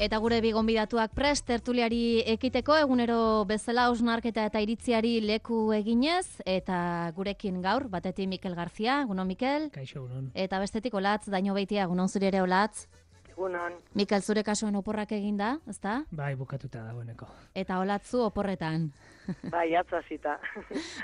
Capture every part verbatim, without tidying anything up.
Eta gure bi gonbidatuak prest tertuliari ekiteko egunero bezala hausnarketa eta iritziari leku eginez, eta gurekin gaur batetik Mikel García, egunon Mikel. Kaixo, egunon. Eta bestetik Olatz Dañobeitia, egunon zuri ere Olatz. Egunon. Mikel, zure kasuan oporrak eginda, ezta? Bai, bukatuta dagoeneko. Eta Olatzu oporretan. Bai, atzazita.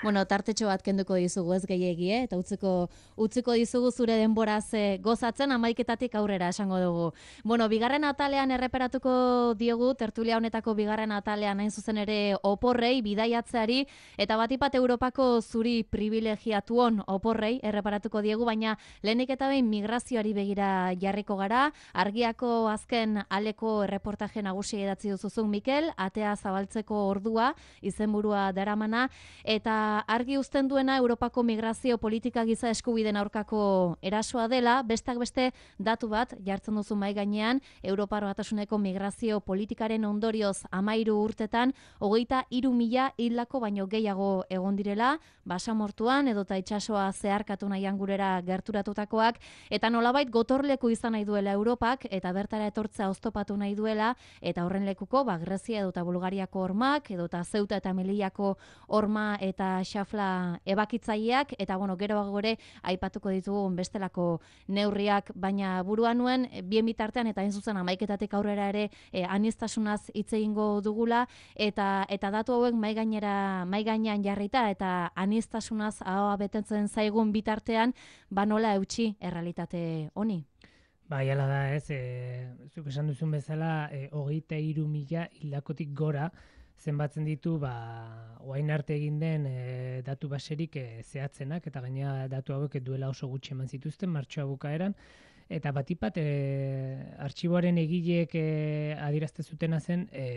Bueno, tartetxo bat kenduko dizugu ez gehiegi, eh? Eta utziko, utziko dizugu zure denboraz eh, gozatzen amaiketatik aurrera esango dugu. Bueno, bigarren atalean erreperatuko diegu, tertulia honetako bigarren atalean hain zuzen ere oporrei, bidaiatzeari, eta batipat Europako zuri privilegiatuon oporrei erreparatuko diegu, baina lehenik eta behin migrazioari begira jarriko gara, Argiako azken aleko erreportaje nagusi idatzi duzuzun Mikel, atea zabaltzeko ordua, izenburua daramana, eta argi uzten duena Europako migrazio politika giza eskubideen aurkako erasoa dela, bestak beste datu bat jartzen duzu mai gainean, Europar Batasuneko migrazio politikaren ondorioz amairu urtetan, hogeita hiru mila hildako baino gehiago egon direla, basamortuan edota itsasoa zeharkatu nahian gurera gerturatutakoak, eta nolabait gotorleku izan nahi duela Europak, eta bertara etortzea oztopatu nahi duela, eta horren lekuko, ba, Grezia edota Bulgariako hormak, edota Zeuta eta Melillako horma eta xafla ebakitzaileak, eta bueno, gero gore aipatuko ditugu bestelako neurriak, baina buruan nuen, bien bitartean eta hain zuzen amaiketatik aurrera ere eh, aniztasunaz hitz egingo dugula, eta eta datu hauek mai gainera mai gainean jarrita, eta aniztasunaz ahoa betetzen zaigun bitartean, ba nola eutsi errealitate honi. Bai, hala da ez, e, zuk esan duzun bezala, e, hogeita hiru mila hildakotik gora, zenbatzen ditu, ba, oain arte egin den e, datu baserik e, zehatzenak, eta gaina datu hauek duela oso gutxi eman zituzten, martxoa bukaeran, eta batipat, e, artxiboaren egileek e, adierazte zutena zen, e,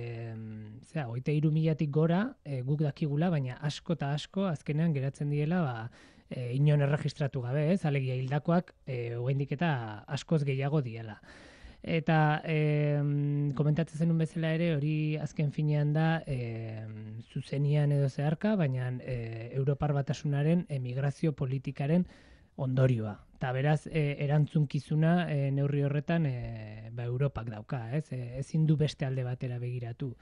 zera, hogeita hiru milatik gora, e, guk dakigula, baina asko eta asko azkenean geratzen diela, ba, e, inon erregistratu gabe, ez, alegia hildakoak, e, oraindik eta askoz gehiago diela. Eta e, komentatzen zenun bezala ere, hori azken finean da e, zuzenian edo zeharka, baina e, Europar Batasunaren emigrazio politikaren ondorioa. Eta beraz, e, erantzunkizuna e, neurri horretan e, ba, Europak dauka, ez? E, ezin du beste alde batera begiratu.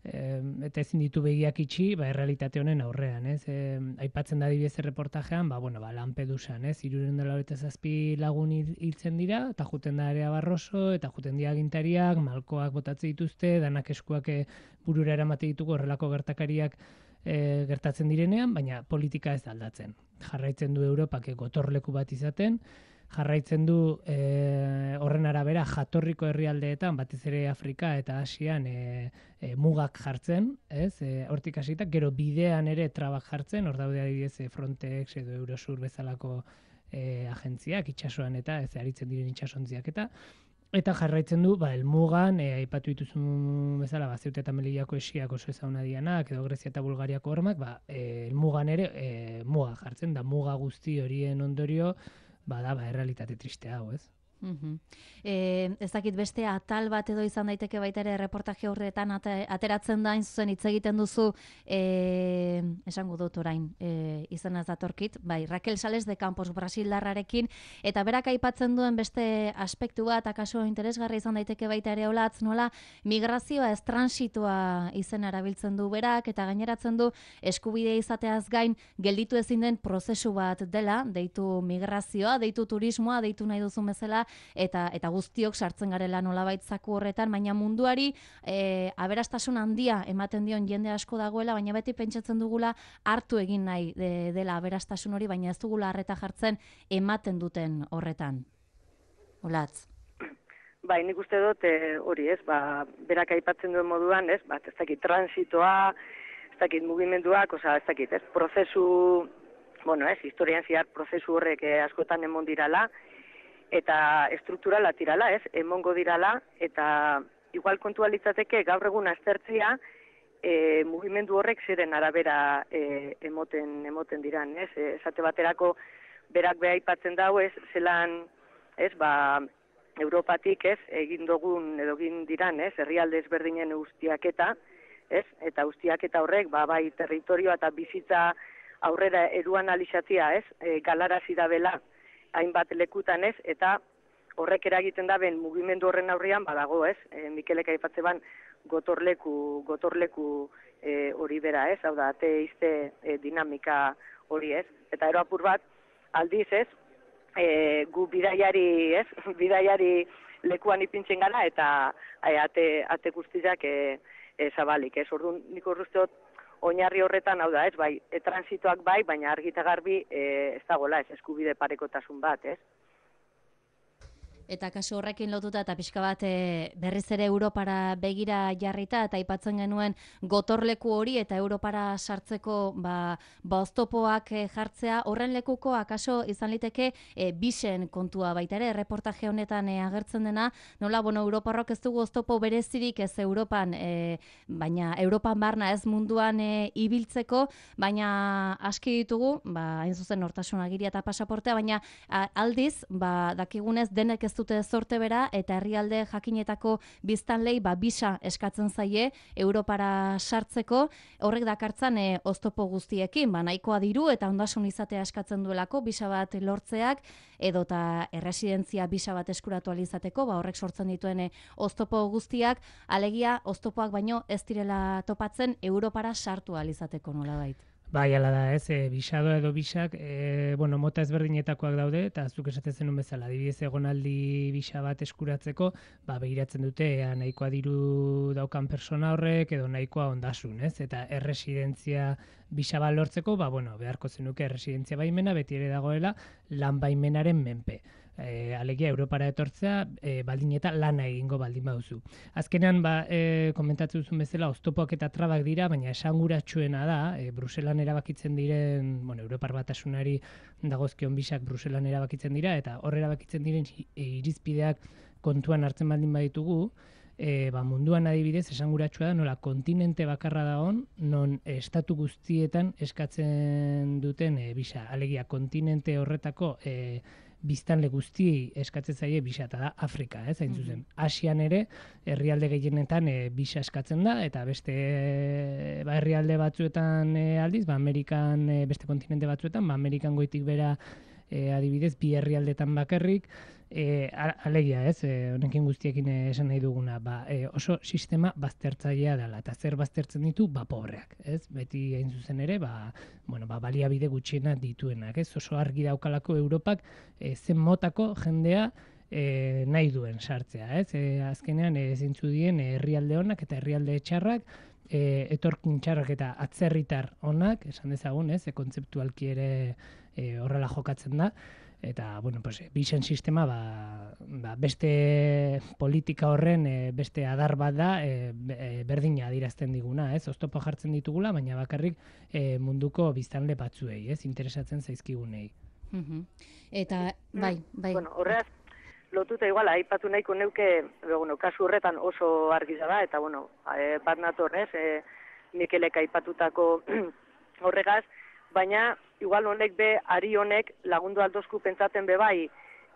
E, eta ezin ditu begiak itxi, ba, errealitate honen aurrean, ez? E, aipatzen da adibidez erreportajean, ba, bueno, ba, Lampedusan, ez? hirurehun eta laurogeita zazpi lagun hiltzen dira, eta juten da Area Barroso, eta juten dira agintariak, malkoak botatze dituzte, danak eskuak burura eramate ditugu horrelako gertakariak e, gertatzen direnean, baina politika ez aldatzen. Jarraitzen du Europak gotorleku bat izaten, jarraitzen du e, horren arabera jatorriko herrialdeetan, batez ere Afrika eta Asian e, e, mugak jartzen, ez? E, hortik hasita, gero bidean ere trabak jartzen, hor daude adibidez Frontex edo Eurosur bezalako e, agentziak itsasoan eta ez aritzen diren itsasontziak eta eta jarraitzen du, ba, elmugan, e, aipatu dituzun bezala, ba, Zeuta eta Melillako esiak oso ezaguna dianak, edo Grezia eta Bulgariako hormak, ba, e, elmugan ere e, muga jartzen, da muga guzti horien ondorio, bada, ba, errealitate triste hau, ez? Uh-huh. E, ez dakit beste atal bat edo izan daiteke baita ere reportaje horretan ateratzen da, zuzen hitz egiten duzu, e, esango dut orain, e, izan ez datorkit, bai, Raquel Sales de Campos Brasildarrarekin, eta berak aipatzen duen beste aspektu bat, akaso interesgarri izan daiteke baita ere Olatz, nola migrazioa ez transitoa izen erabiltzen du berak, eta gaineratzen du eskubidea izateaz gain gelditu ezin den prozesu bat dela, deitu migrazioa, deitu turismoa, deitu nahi duzun bezala, eta eta guztiok sartzen garela nolabait zaku horretan, baina munduari e, aberastasun handia ematen dion jende asko dagoela, baina beti pentsatzen dugula hartu egin nahi de, dela aberastasun hori, baina ez dugula harreta jartzen ematen duten horretan. Olatz. Bai, nik uste dut hori, ez, ba, berak aipatzen duen moduan, ez, bat, ez dakit transitoa, ez dakit mugimenduak, oza, ez dakit, ez, prozesu, bueno, ez, historian ziar prozesu horrek eh, askotan emon dirala, eta estrukturala tirala, ez, emongo dirala, eta igual kontua litzateke gaur egun aztertzea e, mugimendu horrek ziren arabera e, emoten emoten diran, ez, esate baterako berak beha aipatzen dau, ez, zelan, ez, ba, Europatik, ez, egin dugun edo egin diran, ez, herrialde ezberdinen ustiaketa, ez, eta ustiaketa horrek, ba, bai, territorioa eta bizitza aurrera eruan alizatia, ez, e, galarazi da bela, hainbat lekutan ez, eta horrek eragiten da ben mugimendu horren aurrian badago, ez? E, Mikelek aipatze ban gotorleku, gotorleku e, hori bera, ez? Hau da, ateiste e, dinamika hori, ez? Eta ero apur bat, aldiz, ez? E, gu bidaiari, ez? Bidaiari lekuan ipintzen gara eta e, ate, ate guztiak e, e, zabalik, ez? Orduan, nik urruzteot, oinarri horretan, hau da, ez? Bai, e, transitoak bai, baina argita garbi e, ez dagoela, ez? Eskubide parekotasun bat, ez? Eta kasu horrekin lotuta eta pixka bat e, berriz ere Europara begira jarrita eta aipatzen genuen gotorleku hori eta Europara sartzeko ba, ba oztopoak e, jartzea, horren lekuko akaso izan liteke e, bisen kontua baita ere, reportaje honetan e, agertzen dena, nola, bueno, Europarrok ez dugu oztopo berezirik ez Europan, e, baina Europan barna ez munduan e, ibiltzeko, baina aski ditugu, ba, hain zuzen nortasun agiria eta pasaportea, baina a, aldiz, ba, dakigunez denek ez dute zorte bera eta herrialde jakinetako biztanlei ba bisa eskatzen zaie Europara sartzeko, horrek dakartzan e, oztopo guztiekin, ba nahikoa diru eta ondasun izatea eskatzen duelako bisa bat lortzeak edota erresidentzia bisa bat eskuratu ahal izateko, ba horrek sortzen dituen e, oztopo guztiak, alegia oztopoak baino ez direla topatzen Europara sartu ahal izateko nolabait. Bai, ala da, ez, e, bisadoa edo bisak, e, bueno, mota ezberdinetakoak daude, eta zuk esaten zenun bezala, adibidez egonaldi bisa bat eskuratzeko, ba, begiratzen dute, ea, nahikoa diru daukan persona horrek, edo nahikoa ondasun, ez, eta erresidentzia bisa bat lortzeko, ba, bueno, beharko zenuke erresidentzia baimena, beti ere dagoela, lan baimenaren menpe. E, alegia Europara etortzea e, baldin eta lana egingo baldin baduzu. Azkenean, ba, e, komentatzen duzun bezala, oztopoak eta trabak dira, baina esanguratsuena da, e, Bruselan erabakitzen diren, bueno, Europar Batasunari dagozkion bisak Bruselan erabakitzen dira, eta hor erabakitzen diren irizpideak kontuan hartzen baldin baditugu, e, ba, munduan adibidez esanguratsua da, nola kontinente bakarra dagoen, non e, estatu guztietan eskatzen duten e, bisa. Alegia, kontinente horretako e, biztanle guztiei eskatzen zaie bisa, eta da Afrika, ez, hain zuzen. Asian ere, herrialde gehienetan e, bisa eskatzen da, eta beste e, ba, herrialde batzuetan e, aldiz, ba, Amerikan, e, beste kontinente batzuetan, ba, Amerikan goitik bera e, adibidez, bi herrialdetan bakarrik, e, alegia, ez, e, honekin guztiekin esan nahi duguna, ba, e, oso sistema baztertzailea dela, eta zer baztertzen ditu, ba, pobreak, ez, beti hain zuzen ere, ba, bueno, ba, baliabide gutxiena dituenak, ez, oso argi daukalako Europak e, zen motako jendea e, nahi duen sartzea, ez, e, azkenean e, zintzu dien herrialde honak eta herrialde txarrak, e, etorkin txarrak eta atzerritar honak, esan dezagun, ez, e, kontzeptualki ere e, horrela jokatzen da, eta, bueno, pues, bisen sistema ba, ba, beste politika horren e, beste adar bat da e, berdina adirazten diguna, ez? Oztopo jartzen ditugula, baina bakarrik e, munduko biztanle batzuei, ez? Interesatzen zaizkigunei. Uh-huh. Eta, bai, bai. Bueno, horreaz, lotuta igual, aipatu nahiko neuke, bueno, kasu horretan oso argiza da, eta, bueno, e, bat natorrez, e, Mikelek aipatutako horregaz, baina igual honek be, ari honek lagundu aldozku pentsaten be bai,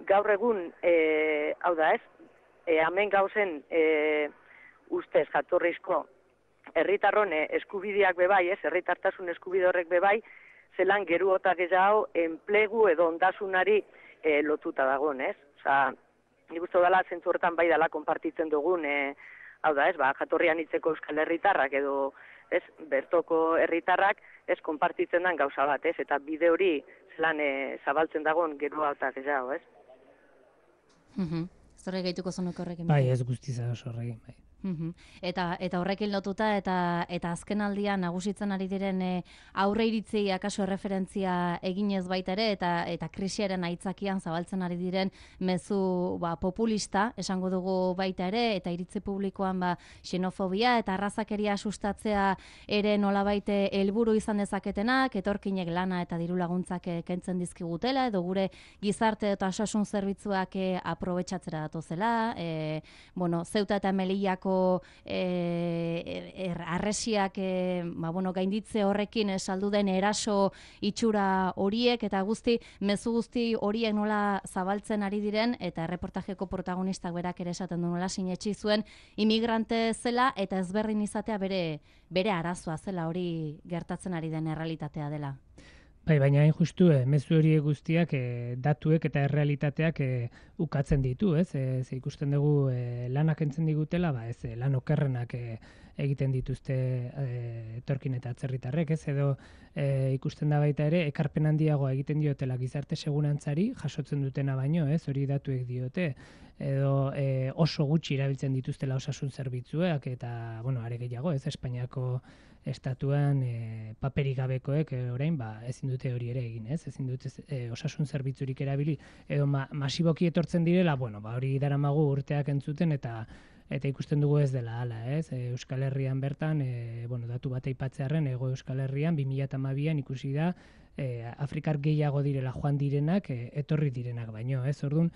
gaur egun, e, hau da ez, e, hemen gauzen e, ustez jatorrizko herritarron eskubideak be bai, ez, herritartasun eskubide horrek be bai, zelan geru eta gehiago enplegu edo ondasunari e, lotuta dagoen, ez? Osa, nik uste dela zentzu horretan bai dela konpartitzen dugun, e, hau da ez, ba, jatorrian hitzeko euskal herritarrak edo, ez, bertoko herritarrak, ez, konpartitzen den gauza bat, ez, eta bide hori zelan e, zabaltzen dagoen geroa eta gehiago, ez? Mhm. Zorre gehituko zonuko horrekin. Bai, ez guztiza oso horrekin, bai. Uhum. Eta eta horrekin lotuta eta eta azken aldian nagusitzen ari diren e, aurre iritzei akaso erreferentzia eginez baita ere eta eta krisiaren aitzakian zabaltzen ari diren mezu ba, populista esango dugu baita ere eta iritzi publikoan ba xenofobia eta arrazakeria sustatzea ere nolabait helburu izan dezaketenak, etorkinek lana eta diru laguntzak e, kentzen dizkigutela edo gure gizarte eta osasun zerbitzuak e, aprobetxatzera datozela, e, bueno, Zeuta eta Melillako E, er, arresiak e, ba, bueno, gainditze horrekin e, saldu den eraso itxura horiek eta guzti, mezu guzti horiek nola zabaltzen ari diren eta erreportajeko protagonistak berak ere esaten du nola sinetsi zuen imigrante zela eta ezberdin izatea bere, bere arazoa zela hori gertatzen ari den errealitatea dela. Bai, baina hain justu, eh, mezu horiek guztiak eh, datuek eta errealitateak eh, ukatzen ditu, ez? E, ze ikusten dugu eh, lanak entzen digutela, ba, ez, eh, lan okerrenak eh, egiten dituzte eh, etorkin eta atzerritarrek, ez? Edo eh, ikusten da baita ere, ekarpen handiagoa egiten diotela gizarte segurantzari, jasotzen dutena baino, ez? Hori datuek diote. Edo eh, oso gutxi erabiltzen dituztela osasun zerbitzuak, eta, bueno, are gehiago, ez? Espainiako estatuan e, paperik gabekoek e, orain ba ezin dute hori ere egin, ez? Ezin dute e, osasun zerbitzurik erabili edo ma, masiboki etortzen direla, bueno, ba hori daramagu urteak entzuten eta eta ikusten dugu ez dela hala, ez? E, Euskal Herrian bertan, e, bueno, datu bat aipatzearren Hego Euskal Herrian bi mila hamabian ikusi da e, Afrikar gehiago direla joan direnak, e, etorri direnak baino, ez? Ordun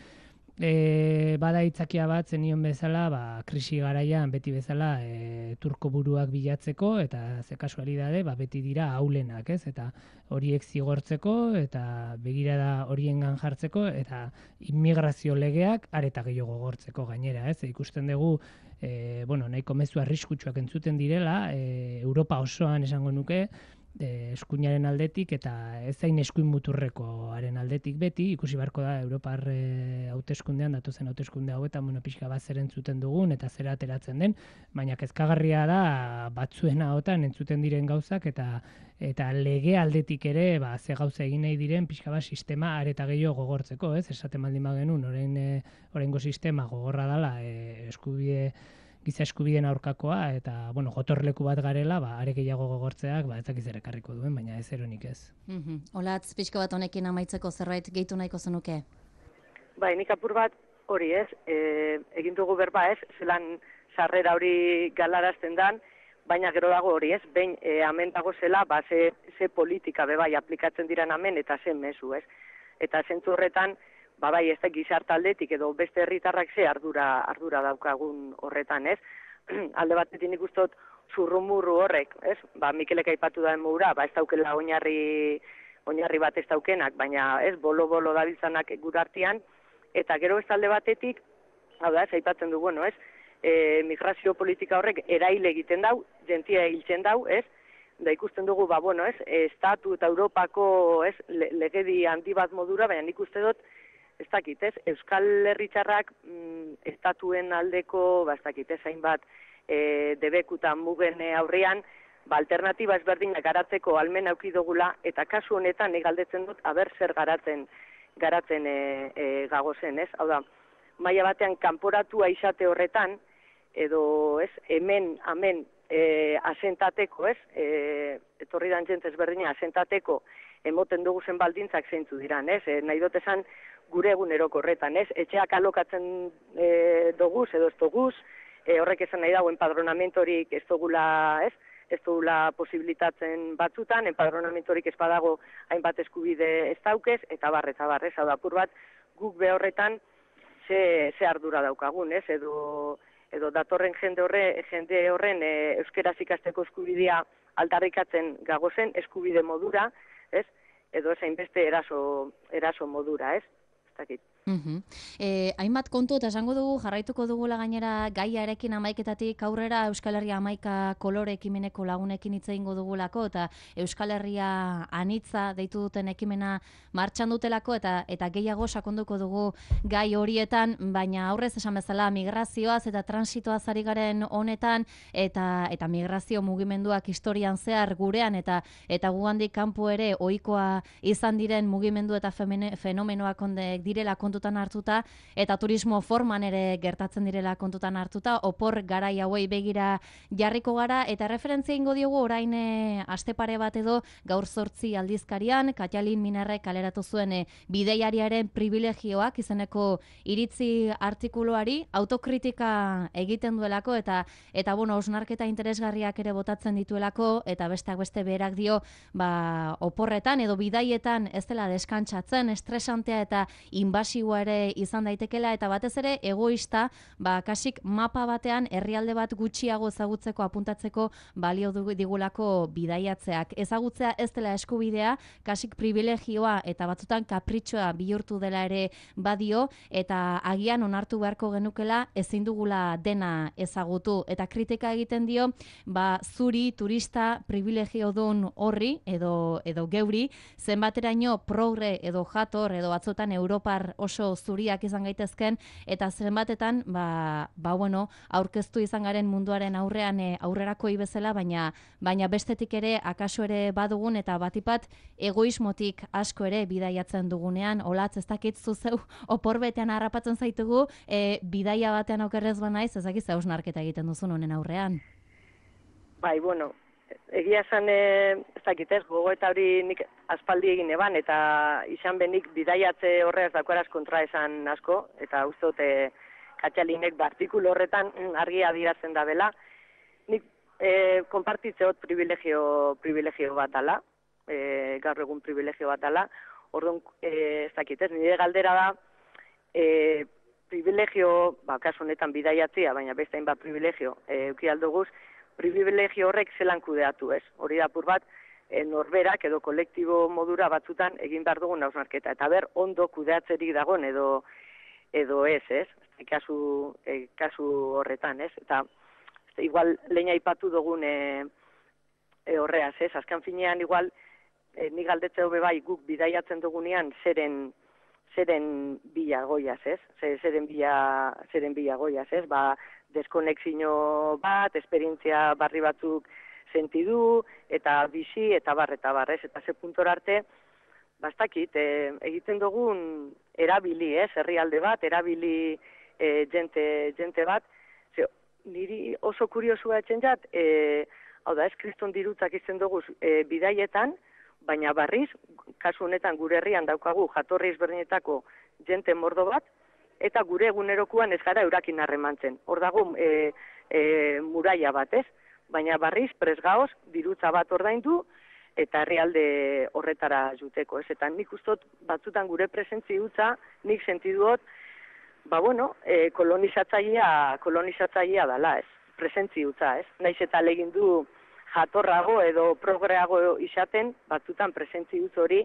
E, bada itzakia bat zenion bezala, ba, krisi garaian beti bezala e, turko buruak bilatzeko eta ze kasualidade, ba, beti dira aulenak, ez? Eta horiek zigortzeko eta begirada horiengan jartzeko eta immigrazio legeak areta gehiago gogortzeko gainera, ez? E, ikusten dugu e, bueno, nahiko mezu arriskutsuak entzuten direla, e, Europa osoan esango nuke, E, eskuinaren aldetik eta ez zain eskuin muturrekoaren aldetik beti, ikusi beharko da Europar e, hauteskundean, datozen hauteskunde hauetan, bueno, pixka bat zer entzuten dugun eta zer ateratzen den, baina kezkagarria da batzuen ahotan entzuten diren gauzak eta eta lege aldetik ere ba, ze gauza egin nahi diren pixka bat sistema areta gehiago gogortzeko, ez? Esaten baldin bagenun, orain e, oraingo sistema gogorra dela e, eskubide giza eskubideen aurkakoa eta bueno, gotorleku bat garela, ba are gehiago gogortzeak, ba ez dakiz ere ekarriko duen, baina ez eronik ez. Mhm. Olatz, pixko bat honekin amaitzeko zerbait gehitu nahiko zenuke. Bai, nik apur bat hori, ez? E, egin dugu berba, ez? Zelan sarrera hori galarazten dan, baina gero dago hori, ez? Behin e, amen dago zela, ba ze, ze politika be bai aplikatzen diran amen eta ze mezu, ez? Eta zentzu horretan ba bai, ez da gizarte aldetik edo beste herritarrak ze ardura ardura daukagun horretan, ez? Alde batetik nik uste dut zurrumurru horrek, ez? Ba Mikelek aipatu da emura, ba ez daukela oinarri oinarri bat ez daukenak, baina ez bolo-bolo dabiltzanak gure artean eta gero ez alde batetik, hau da, ez aipatzen du, bueno, ez? E, migrazio politika horrek eraile egiten dau, jentia hiltzen dau, ez? Da ikusten dugu, ba bueno, ez? Estatu eta Europako, ez? Le, legedi handi bat modura, baina nik uste dut ez dakit, ez? Euskal Herritarrak mm, estatuen aldeko, ba, ez dakit, ez hainbat e, debekutan mugen aurrean, ba, alternatiba ezberdinak garatzeko almen auki dugula, eta kasu honetan nik galdetzen dut, aber zer garatzen, garatzen e, e, gagozen, ez? Hau da, maila batean kanporatua izate horretan, edo, ez, hemen, hemen, e, asentateko, ez? E, etorri dan jente ezberdina asentateko, emoten dugu zen baldintzak zeintzu diran, ez? E, nahi dut esan, gure eguneroko horretan, ez? Etxeak alokatzen e, doguz edo ez doguz, e, horrek esan nahi dago enpadronamentorik ez dugula, ez? Ez dugula posibilitatzen batzutan, enpadronamentorik ez badago hainbat eskubide ez daukez, eta bar, eta bar, ez? Hau da, apur bat, guk be horretan ze, ze ardura daukagun, ez? Edo, edo datorren jende horre, jende horren e, euskaraz ikasteko eskubidea aldarrikatzen gagozen eskubide modura, ez? Edo ez hainbeste eraso, eraso modura, ez? Uh-huh. E, hainbat kontu eta esango dugu jarraituko dugula gainera gaiarekin hamaiketatik aurrera Euskal Herria hamaika kolore ekimeneko lagunekin hitz egingo dugulako eta Euskal Herria anitza deitu duten ekimena martxan dutelako eta eta gehiago sakonduko dugu gai horietan, baina aurrez esan bezala migrazioaz eta transitoaz ari garen honetan eta eta migrazio mugimenduak historian zehar gurean eta eta gugandik kanpo ere ohikoa izan diren mugimendu eta femene, fenomenoak ondek direla kontutan hartuta eta turismo forman ere gertatzen direla kontutan hartuta, opor garai hauei begira jarriko gara eta referentzia ingo diogu orain e, aste pare bat edo gaur zortzi aldizkarian Katalin Minarrek kaleratu zuen e, bideiariaren privilegioak izeneko iritzi artikuluari autokritika egiten duelako eta eta bueno, osnarketa interesgarriak ere botatzen dituelako eta besteak beste berak dio ba, oporretan edo bidaietan ez dela deskantsatzen, estresantea eta inbasio negatiboa ere izan daitekela, eta batez ere egoista, ba, kasik mapa batean herrialde bat gutxiago ezagutzeko, apuntatzeko balio digulako bidaiatzeak. Ezagutzea ez dela eskubidea, kasik privilegioa eta batzutan kapritxoa bihurtu dela ere badio, eta agian onartu beharko genukela ezin dugula dena ezagutu. Eta kritika egiten dio, ba, zuri, turista, privilegiodun horri, edo, edo geuri, zenbateraino progre edo jator, edo batzutan Europar oso zuriak izan gaitezken, eta zenbatetan, ba, ba bueno, aurkeztu izan garen munduaren aurrean e, aurrerakoi bezala, baina, baina bestetik ere, akaso ere badugun, eta batipat egoismotik asko ere bidaiatzen dugunean, olatz ez dakit zuzeu, oporbetean harrapatzen zaitugu, e, bidaia batean okerrez banaiz, ez dakit hausnarketa egiten duzun honen aurrean. Bai, bueno, egia esan, e, ez dakit ez, gogo eta hori nik aspaldi egin eban, eta izan benik bidaiatze horreaz dakoaraz kontra esan asko, eta uste dute Katxalinek artikulu horretan argi adierazten da bela. Nik e, konpartitzeot privilegio, privilegio bat ala, e, gaur egun privilegio bat ala, orduan, e, ez dakit ez, nire galdera da, e, privilegio, ba, kasu honetan bidaiatzea, baina beste hainbat privilegio, e, euki aldoguz, privilegio horrek zelan kudeatu ez. Hori da apur bat, e, norberak edo kolektibo modura batzutan egin behar dugun hausnarketa. Eta ber, ondo kudeatzerik dagoen edo edo ez, ez? Kasu, e, kasu horretan, ez? Eta igual lehen aipatu dugun e, e, horreaz, ez? Azkan finean igual, e, nik galdetze hobe bai guk bidaiatzen dugunean zeren zeren bila goiaz, ez? Zeren bila, zeren bila goiaz, ez? Ba, deskonexio bat, esperientzia barri batzuk sentidu, eta bizi, eta bar, eta bar, ez? Eta ze puntora arte, bastakit, e, egiten dugun erabili, ez? Herrialde bat, erabili e, jente, jente bat, ze, niri oso kuriosua etxen jat, e, hau da, ez kriston dirutzak izten dugu e, bidaietan, baina barriz, kasu honetan gure herrian daukagu jatorri ezberdinetako jente mordo bat, eta gure egunerokuan ez gara eurakin harremantzen. Hor dago e, e, muraia bat, ez? Baina barriz, presgaoz, dirutza bat ordaindu, eta herrialde horretara juteko, ez? Eta nik ustot batzutan gure presentzi utza, nik sentiduot, ba bueno, e, kolonizatzailea, kolonizatzailea dala, ez? Presentzi utza, ez? Naiz eta legin du jatorrago edo progreago izaten, batzutan presentzi utz hori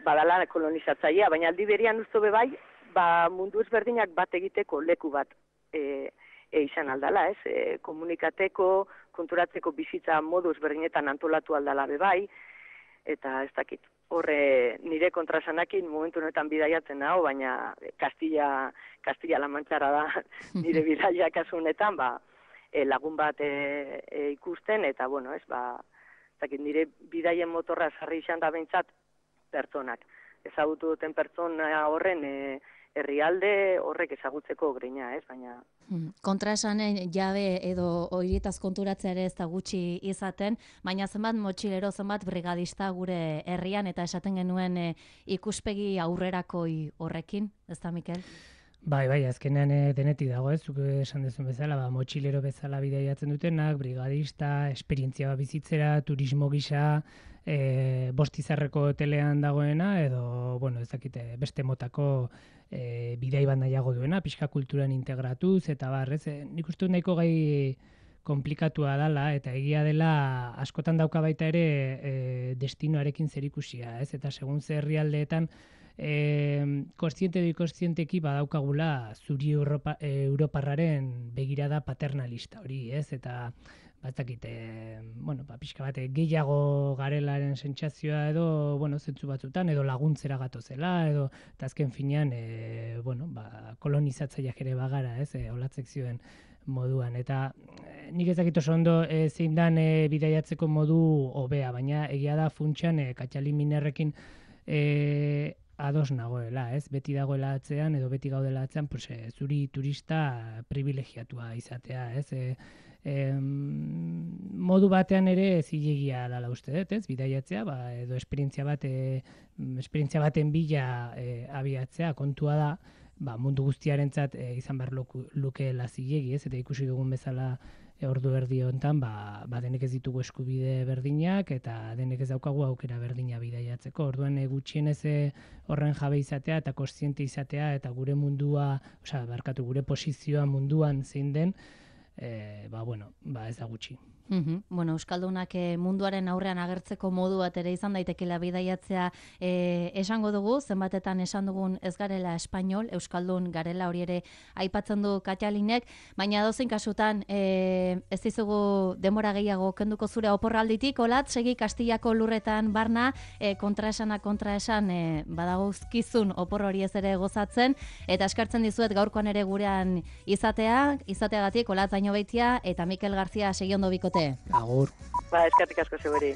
badala kolonizatzailea, baina aldi berian usto bebai, ba mundu ezberdinak bat egiteko leku bat e, e izan aldala, ez? E, komunikateko, konturatzeko bizitza modu ezberdinetan antolatu aldala bebai, eta ez dakit. Horre nire kontrasanakin momentu honetan bidaiatzen hau, baina Kastilla, Kastilla La Manchara da nire bidaia kasu honetan, ba, E, lagun bat e, e, ikusten, eta, bueno, ez, ba, zakit, nire bidaien motorra sarri izan da behintzat pertsonak. Ezagutu duten pertsona horren e, herrialde horrek ezagutzeko greina, ez, baina... Kontraesanen jabe edo horietaz konturatzea ere ez da gutxi izaten, baina zenbat motxilero, zenbat brigadista gure herrian, eta esaten genuen e, ikuspegi aurrerakoi horrekin, ez da, Mikel? Bai, bai, azkenean e, denetik dago, ez, zuk esan duzun bezala, ba, motxilero bezala bidaiatzen dutenak, brigadista, esperientzia bat bizitzera, turismo gisa, e, bostizarreko hotelean dagoena, edo, bueno, ez dakite, beste motako e, bidai bat nahiago duena, pixka kulturan integratuz, eta bar, ez, e, nik uste dut nahiko gai komplikatua dela, eta egia dela askotan dauka baita ere e, destinoarekin zerikusia, ez, eta segun ze herrialdeetan, E, kontziente edo kontzienteki badaukagula zuri Europa, e, Europarraren begirada paternalista hori, ez? Eta batzakit, e, bueno, ba, pixka bat gehiago garelaren sentsazioa edo, bueno, zentzu batzutan, edo laguntzera gatozela, edo, eta azken finean, e, bueno, ba, kolonizatzaileak ere bagara, ez? E, olatzek zioen moduan, eta e, nik ezakit oso ondo e, zein dan e, bidaiatzeko modu hobea, baina egia da funtsan e, Katxali Minerrekin e, ados nagoela, ez? Beti dagoela atzean edo beti gaudela atzean, pues, e, zuri turista privilegiatua izatea, ez? E, e, modu batean ere zilegia dela uste dut, ez? Bidaiatzea, ba, edo esperientzia bat, e, esperientzia baten bila e, abiatzea, kontua da, ba, mundu guztiarentzat e, izan behar lukeela zilegi, ez? Eta ikusi dugun bezala E, ordu erdi hontan ba, ba denek ez ditugu eskubide berdinak eta denek ez daukagu aukera berdina bidaiatzeko. Orduan e, gutxienez e, horren jabe izatea eta kontziente izatea eta gure mundua, osea, barkatu gure posizioa munduan zein den, e, ba bueno, ba ez da gutxi. Uhum. Bueno, Euskaldunak e, munduaren aurrean agertzeko modu bat ere izan daitekela bidaiatzea e, esango dugu, zenbatetan esan dugun ez garela espainol, Euskaldun garela, hori ere aipatzen du Katalinek, baina dozein kasutan e, ez dizugu denbora gehiago kenduko zure oporralditik, Olat, segi Kastillako lurretan barna, e, kontraesana kontraesan e, badagozkizun opor hori ez ere gozatzen, eta eskartzen dizuet gaurkoan ere gurean izatea, izateagatik Olat Zainobeitia eta Mikel Garzia segi ondo bikote. Agur. Ba, eskatik asko zeuri.